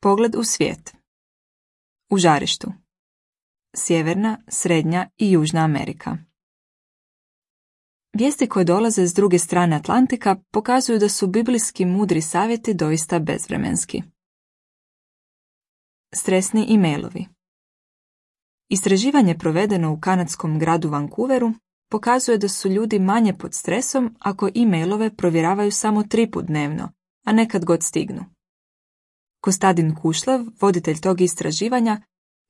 Pogled u svijet. U žarištu. Sjeverna, Srednja i Južna Amerika. Vijesti koje dolaze s druge strane Atlantika pokazuju da su biblijski mudri savjeti doista bezvremenski. Stresni e-mailovi. Istraživanje provedeno u kanadskom gradu Vancouveru pokazuje da su ljudi manje pod stresom ako e-mailove provjeravaju samo 3 puta dnevno, a nekad god stignu. Kostadin Kušlev, voditelj tog istraživanja,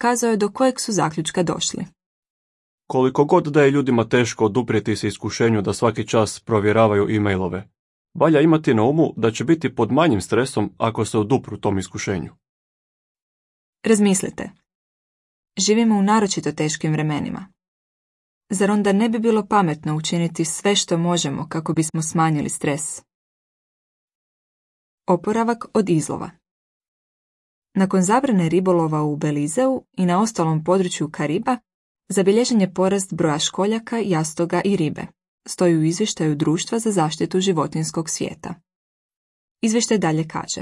kazao je do kojeg su zaključka došli. Koliko god da je ljudima teško oduprijeti se iskušenju da svaki čas provjeravaju e-mailove, valja imati na umu da će biti pod manjim stresom ako se odupru tom iskušenju. Razmislite. Živimo u naročito teškim vremenima. Zar onda ne bi bilo pametno učiniti sve što možemo kako bismo smanjili stres? Oporavak od izlova. Nakon zabrane ribolova u Belizeu i na ostalom području Kariba, zabilježen je porast broja školjaka, jastoga i ribe, stoji u izvještaju Društva za zaštitu životinjskog svijeta. Izvještaj dalje kaže: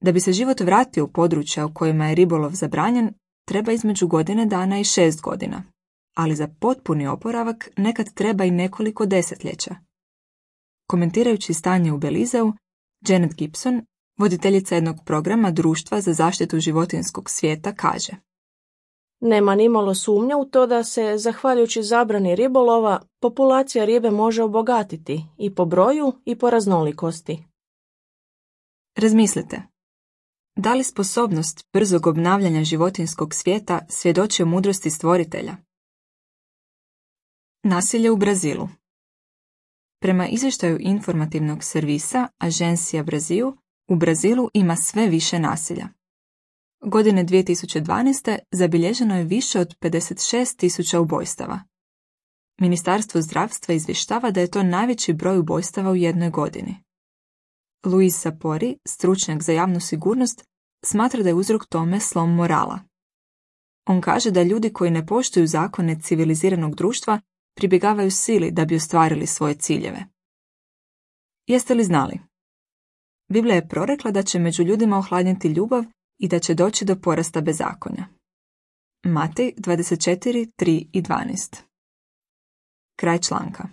da bi se život vratio u područja u kojima je ribolov zabranjen, treba između godine dana i 6 godina, ali za potpuni oporavak nekad treba i nekoliko desetljeća. Komentirajući stanje u Belizeu, Janet Gibson, voditeljica jednog programa Društva za zaštitu životinjskog svijeta, kaže: nema nimalo sumnja u to da se, zahvaljujući zabrani ribolova, populacija ribe može obogatiti i po broju i po raznolikosti. Razmislite. Da li sposobnost brzog obnavljanja životinjskog svijeta svjedoči o mudrosti stvoritelja? Nasilje u Brazilu. Prema izvještaju informativnog servisa Agencia Brasil, u Brazilu ima sve više nasilja. Godine 2012. zabilježeno je više od 56.000 ubojstava. Ministarstvo zdravstva izvještava da je to najveći broj ubojstava u jednoj godini. Luis Sapori, stručnjak za javnu sigurnost, smatra da je uzrok tome slom morala. On kaže da ljudi koji ne poštuju zakone civiliziranog društva pribjegavaju sili da bi ostvarili svoje ciljeve. Jeste li znali? Biblija je prorekla da će među ljudima ohladniti ljubav i da će doći do porasta bezakonja. Matej 24, 3 i 12. Kraj članka.